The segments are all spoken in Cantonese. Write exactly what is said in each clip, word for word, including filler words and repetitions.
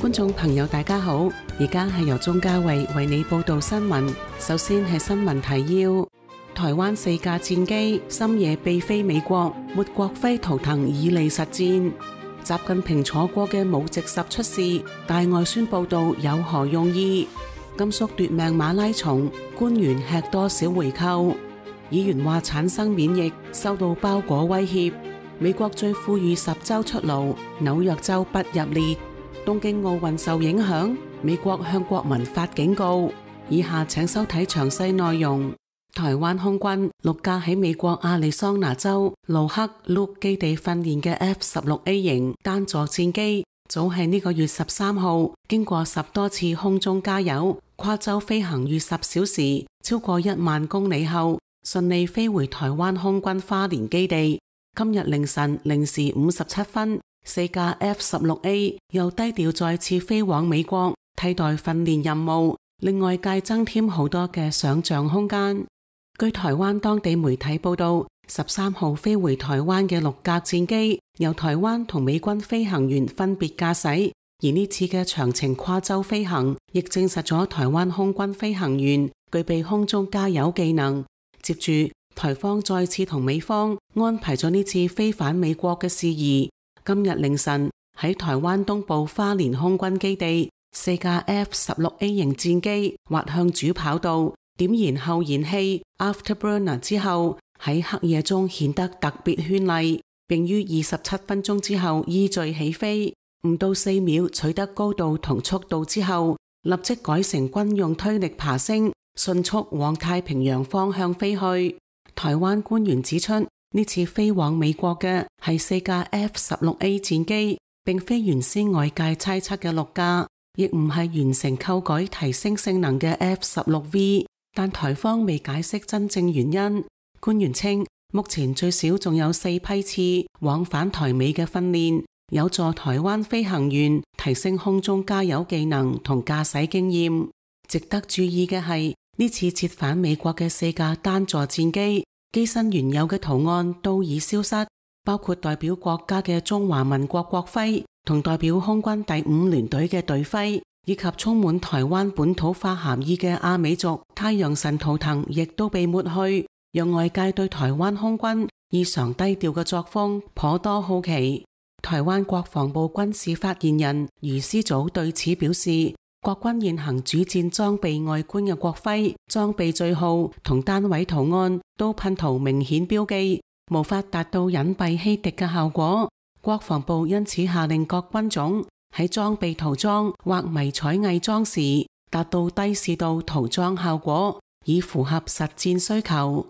觀眾朋友大家好，而家係由鍾嘉慧為你報道新聞。首先係新聞提要：台灣四架戰機深夜被飛美國，沒國徽圖騰以利實戰。習近平坐過嘅武直十出事，大外宣報道有何用意？甘肅奪命馬拉松，官員吃多少回扣？議員話產生免疫，受到包裹威脅。美國最富裕十州出爐，紐約州不入列。東京奧運受影響，美國向國民發警告。以下請收睇詳細內容。台灣空軍六架喺美國亞利桑那州盧克魯基地訓練嘅 F 十六 A 型單座戰機，早喺呢個月十三號經過十多次空中加油，跨州飛行逾十小時，超過一萬公里後，順利飛回台灣空軍花蓮基地。今日凌晨零時五十七分，四架 F 十六 A 又低調再次飛往美國，替代訓練任務，令外界增添好多嘅想象空間。據台灣當地媒體報道，十三號飛回台灣嘅六架戰機，由台灣同美軍飛行員分別駕駛，而呢次嘅長程跨州飛行，亦證實咗台灣空軍飛行員具備空中加油技能。接住，台方再次同美方安排咗呢次飛返美國嘅事宜。今日凌晨喺台灣東部花蓮空軍基地，四架 F 十六 A 型戰機滑向主跑道，點燃後燃器 Afterburner 之後，喺黑夜中顯得特別絢麗，並於二十七分鐘之後依序起飛。唔到四秒取得高度同速度之後，立即改成軍用推力爬升，迅速往太平洋方向飛去。台灣官員指出，呢次飛往美國嘅係四架 F 十六 A 戰機，並非原先外界猜測嘅六架，亦唔係完成購改提升性能嘅 F 十六 V， 但台方未解釋真正原因。官員稱，目前最少仲有四批次往返台美嘅訓練，有助台灣飛行員提升空中加油技能同駕駛經驗。值得注意嘅係，呢次折返美國嘅四架單座戰機，機身原有嘅圖案都已消失，包括代表國家嘅中華民國國徽同代表空軍第五聯隊嘅隊徽，以及充滿台灣本土化含義嘅阿美族太陽神圖騰亦都被抹去，讓外界對台灣空軍異常低調嘅作風頗多好奇。台灣國防部軍事發言人余思祖對此表示，國軍現行主戰裝備外觀嘅國徽、裝備序號同單位圖案都噴塗明顯標記，無法達到隱蔽欺敵嘅效果。國防部因此下令各軍種喺裝備塗裝或迷彩偽裝時，達到低視度塗裝效果，以符合實戰需求。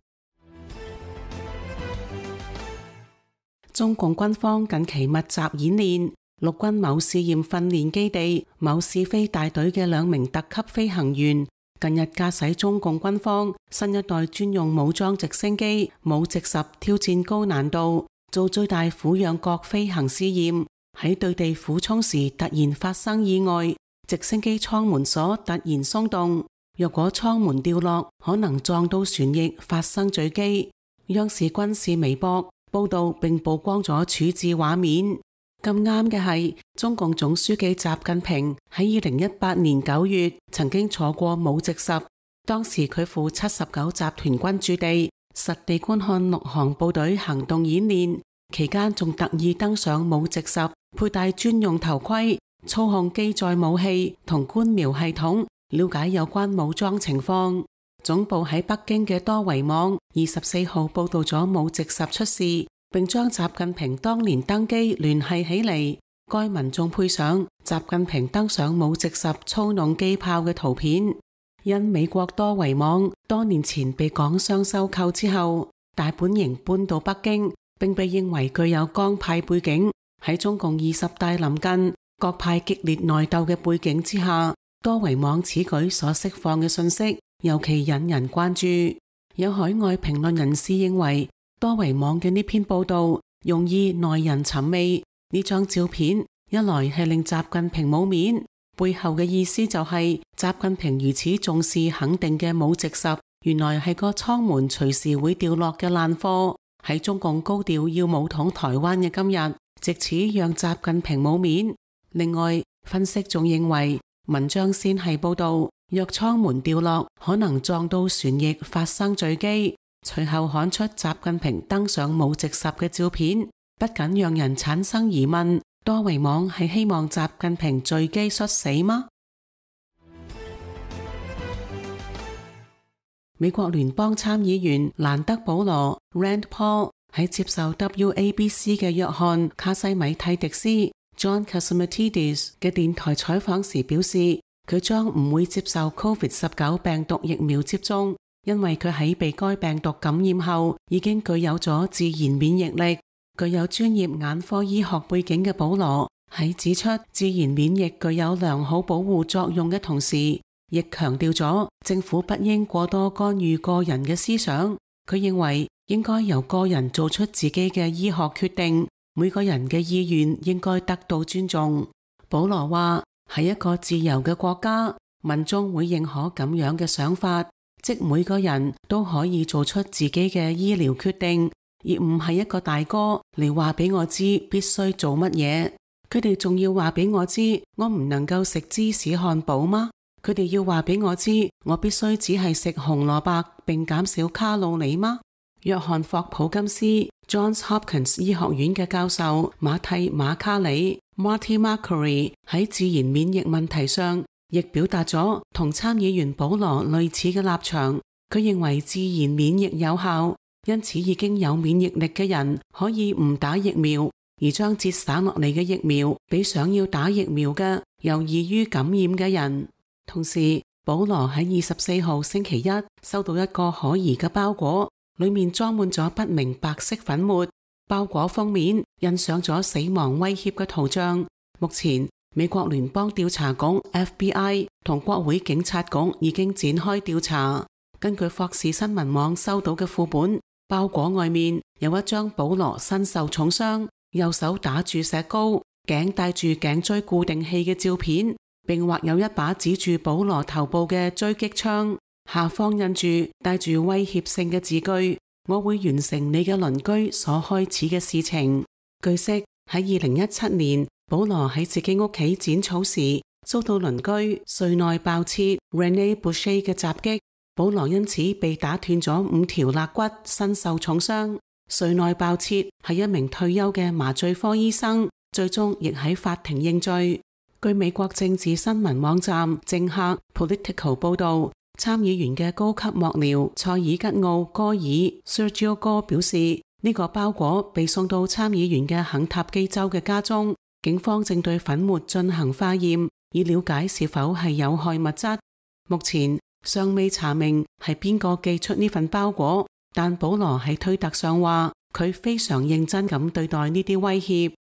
中共軍方近期密集演練。陸軍某試驗訓練基地某試飛大隊嘅兩名特級飛行員，近日駕駛中共軍方新一代專用武裝直升機武直十挑戰高難度，做最大俯仰角飛行試驗。喺對地俯衝時突然發生意外，直升機艙門鎖突然鬆動，若果艙門掉落，可能撞到船翼發生墜機。央視軍事微博報道並曝光咗處置畫面。咁啱嘅係，中共總書記習近平喺二零一八年九月曾經坐過武直十，當時佢赴七十九集團軍駐地，實地觀看陸航部隊行動演練，期間仲特意登上武直十，佩戴專用頭盔，操控機載武器同觀瞄系統，了解有關武裝情況。總部喺北京嘅多維網二十四號報道咗武直十出事，並將習近平當年登機聯繫起嚟。該文仲配上習近平登上武直十操弄機炮嘅圖片。因美國多維網多年前被港商收購之後，大本營搬到北京，並被認為具有江派背景。喺中共二十大臨近、各派激烈內鬥嘅背景之下，多維網此舉所釋放嘅信息尤其引人關注。有海外評論人士認為，多維網嘅呢篇報道容易耐人尋味。呢張照片一來係令習近平冇面，背後嘅意思就係習近平如此重視肯定嘅武直十，原來係個艙門隨時會掉落嘅爛貨。喺中共高調要武統台灣嘅今日，藉此讓習近平冇面。另外，分析仲認為，文章先係報導藥艙門掉落，可能撞到船翼發生墜機，隨後刊出習近平登上無直十嘅照片，不僅讓人產生疑問，多維網係希望習近平墜機摔死嗎？美國聯邦參議員蘭德保羅 Rand Paul 喺接受 W A B C 嘅約翰卡西米蒂迪斯 John Catsimatidis 嘅電台採訪時表示，佢將唔會接受 COVID 十九 病毒疫苗接種，因為佢喺被該病毒感染後已經具有咗自然免疫力。具有專業眼科醫學背景嘅保羅喺指出自然免疫具有良好保護作用嘅同時，亦強調咗政府不應過多干預個人嘅思想。佢認為應該由個人做出自己嘅醫學決定，每個人嘅意願應該得到尊重。保羅話，喺一個自由嘅國家，民眾會認可咁樣嘅想法，即每個人都可以做出自己嘅醫療決定，而唔係一個大哥嚟話俾我知必須做乜嘢。佢哋仲要話俾我知我唔能夠食芝士漢堡嗎？佢哋要話俾我知我必須只係食紅蘿蔔並減少卡路里嗎？約翰霍普金斯 Johns Hopkins 醫學院嘅教授馬蒂馬卡里 Marty Makary 喺自然免疫問題上亦表達咗同參議員保羅類似嘅立場。佢認為自然免疫有效，因此已經有免疫力嘅人可以唔打疫苗，而將節省落嚟嘅疫苗俾想要打疫苗嘅又易於感染嘅人。同時，保羅喺二十四號星期一收到一個可疑嘅包裹，裏面裝滿咗不明白色粉末，包裹封面印上咗死亡威脅嘅圖像。目前，美國聯邦調查局 F B I 同國會警察局已經展開調查。根據霍士新聞網收到嘅副本，包裹外面有一張保羅身受重傷，右手打住石膏，頸戴住頸椎固定器嘅照片，並畫有一把指住保羅頭部嘅狙擊槍，下方印住帶住威脅性嘅字句：我會完成你嘅鄰居所開始嘅事情。據悉，喺二零一七年，保羅喺自己屋企剪草時，遭到鄰居瑞內爆切 Rene Boucher 嘅襲擊，保羅因此被打斷咗五條肋骨，身受重傷。瑞內爆切係一名退休嘅麻醉科醫生，最終亦喺法庭認罪。據美國政治新聞網站政客 Political 報道，參議員嘅高級幕僚塞爾吉奧戈爾 Sergio 哥表示，呢、這個包裹被送到參議員嘅肯塔基州嘅家中，警方正對粉末進行化驗，以了解是否係有害物質。目前尚未查明係邊個寄出呢份包裹，但保羅喺推特上話佢非常認真咁對待呢啲威脅。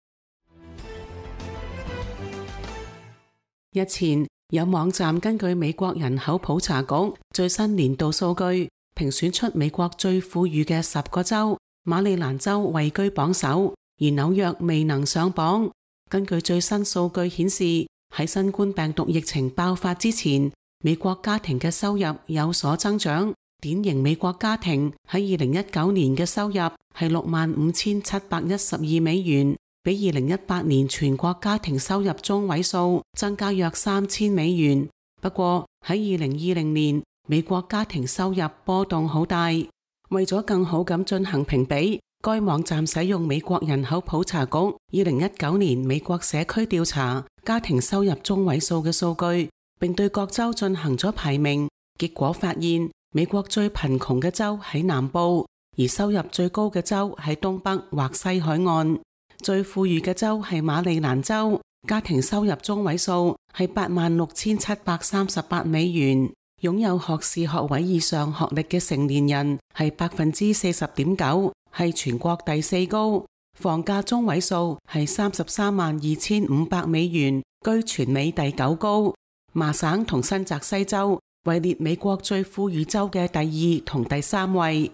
日前有網站根據美國人口普查局最新年度數據，評選出美國最富裕嘅十個州，馬里蘭州位居榜首，而紐約未能上榜。根據最新數據顯示，喺新冠病毒疫情爆發之前，美國家庭嘅收入有所增長。典型美國家庭喺二零一九年嘅收入係六萬五千七百一十二美元，比二零一八年全國家庭收入中位數增加約三千美元。不過喺二零二零年，美國家庭收入波動好大。為咗更好咁進行評比，該網站使用美國人口普查局二零一九年美國社區調查家庭收入中位數嘅數據，並對各州進行咗排名。結果發現，美國最貧窮嘅州喺南部，而收入最高嘅州喺東北或西海岸。最富裕嘅州係馬里蘭州，家庭收入中位數係八萬六千七百三十八美元，擁有學士學位以上學歷嘅成年人係百分之四十點九，係全國第四高。房價中位數係三十三萬二千五百美元，居全美第九高。麻省同新澤西州位列美國最富裕州嘅第二同第三位。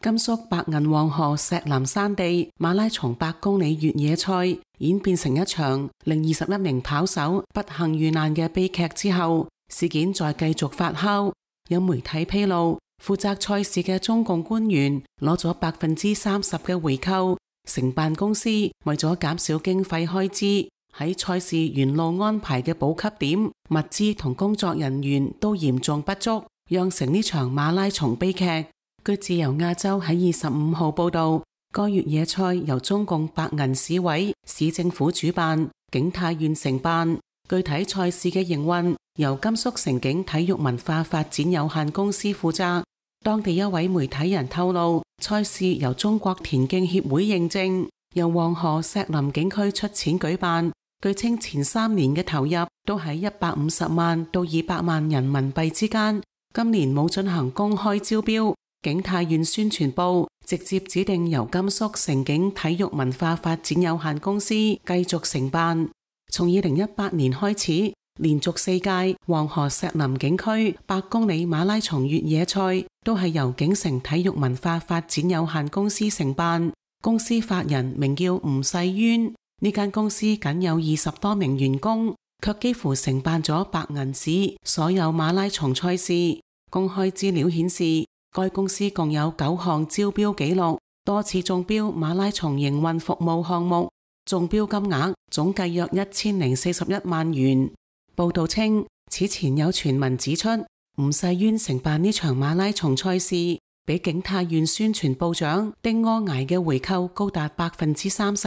甘肅白銀黃河石南山地馬拉松百公里越野賽演變成一場令二十一名跑手不幸遇難嘅悲劇之後，事件再繼續發酵。有媒體披露，負責賽事嘅中共官員攞咗百分之三十嘅回扣，承辦公司為咗減少經費開支，喺賽事沿路安排嘅補給點、物資同工作人員都嚴重不足，釀成呢場馬拉松悲劇。據自由亞洲喺二十五號報道，該越野賽由中共白銀市委、市政府主辦，景泰縣承辦。具體賽事嘅營運由甘肅城景體育文化發展有限公司負責。當地一位媒體人透露，賽事由中國田徑協會認證，由黃河石林景區出錢舉辦。據稱前三年嘅投入都喺一百五十萬到二百萬人民幣之間。今年冇進行公開招標，景泰縣宣傳部直接指定由甘肅城景體育文化發展有限公司繼續承辦。從二零一八年開始，連續四屆黃河石林景區百公里馬拉松越野賽都係由景城體育文化發展有限公司承辦。公司法人名叫吳世淵，呢間公司僅有二十多名員工，卻幾乎承辦咗白銀市所有馬拉松賽事。公開資料顯示，該公司共有九項招標紀錄，多次中標馬拉松營運服務項目，中標金額總計約一千零四十一萬元。報道稱，此前有傳聞指出，吳世淵承辦呢場馬拉松賽事，比景泰縣宣傳部長丁柯崖嘅回扣高達百分之三十。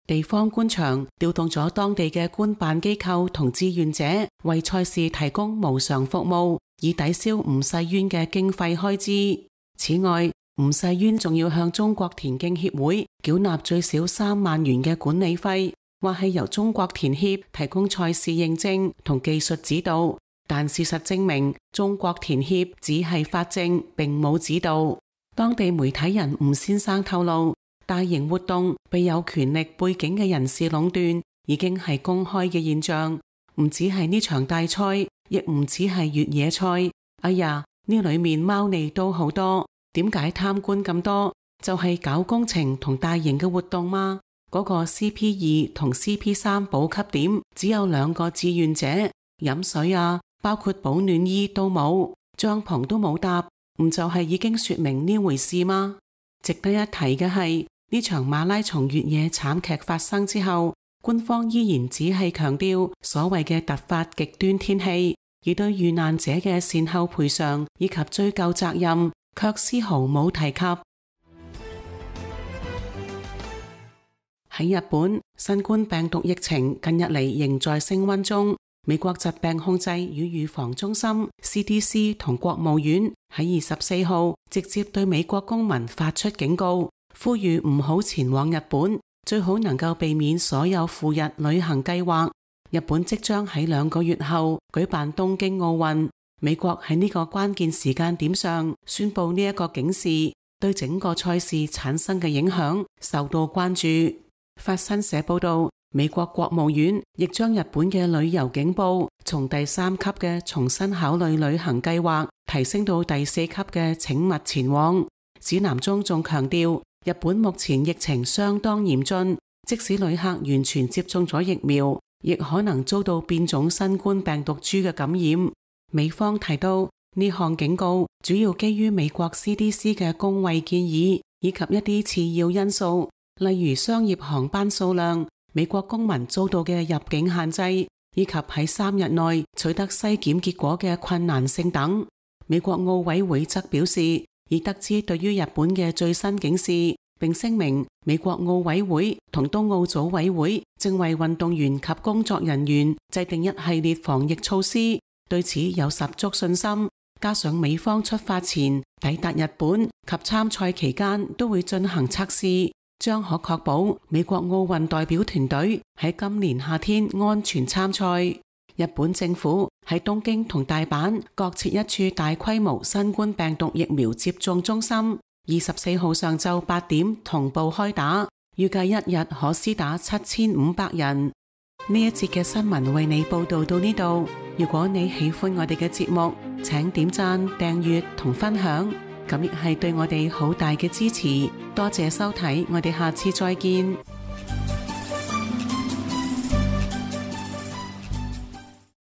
地方官場調動咗當地嘅官辦機構同志願者，為賽事提供無償服務，以抵消吳世淵嘅經費開支。此外，吳世淵仲要向中國田徑協會繳納最少三萬元嘅管理費，或係由中國田協提供賽事認證同技術指導。但事實證明，中國田協只係發證，並冇指導。當地媒體人吳先生透露，大型活動被有權力背景嘅人士壟斷，已經係公開嘅現象。唔只係呢場大賽，亦唔只係越野賽。哎呀，呢裏面貓膩都好多。點解貪官咁多？就係、是、搞工程同大型嘅活動嗎？嗰、那個 C P 二 同 C P 三 補給點只有兩個志願者，飲水啊，包括保暖衣都冇，帳篷都冇搭，唔就係已經說明呢回事嗎？值得一提嘅係，呢場馬拉松越野慘劇發生之後，官方依然只係強調所謂嘅突發極端天氣，而對遇難者嘅善後賠償以及追究責任卻絲毫冇提及。喺日本，新冠病毒疫情近日嚟仍在升溫中。美國疾病控制與預防中心 C D C 同國務院喺二十四號直接對美國公民發出警告，呼籲唔好前往日本，最好能夠避免所有赴日旅行計劃。日本即將喺兩個月後舉辦東京奧運，美國喺呢個關鍵時間點上宣布呢一個警示，對整個賽事產生嘅影響受到關注。法新社報道，美國國務院亦將日本嘅旅遊警報從第三級嘅重新考慮旅行計劃提升到第四級嘅請勿前往。指南中仲強調，日本目前疫情相當嚴峻，即使旅客完全接種咗疫苗，亦可能遭到變種新冠病毒株嘅感染。美方提到，呢項警告主要基於美國 C D C 嘅公衛建議，以及一啲次要因素，例如商業航班數量、美國公民遭到嘅入境限制，以及喺三日內取得篩檢結果嘅困難性等。美國奧委會則表示，已得知對於日本嘅最新警示，並聲明美國奧委會同東奧組委會正為運動員及工作人員制定一系列防疫措施，對此有十足信心。加上美方出發前抵達日本及參賽期間都會進行測試，將可確保美國奧運代表團隊喺今年夏天安全參賽。日本政府喺東京同大阪各設一處大規模新冠病毒疫苗接種中心，二十四號上晝八點同步開打，預計一日可施打七千五百人。呢一節嘅新聞為你報道到呢度。如果你喜歡我哋嘅節目，請點讚、訂閱同分享，咁亦係對我哋好大嘅支持。多謝收睇，我哋下次再見。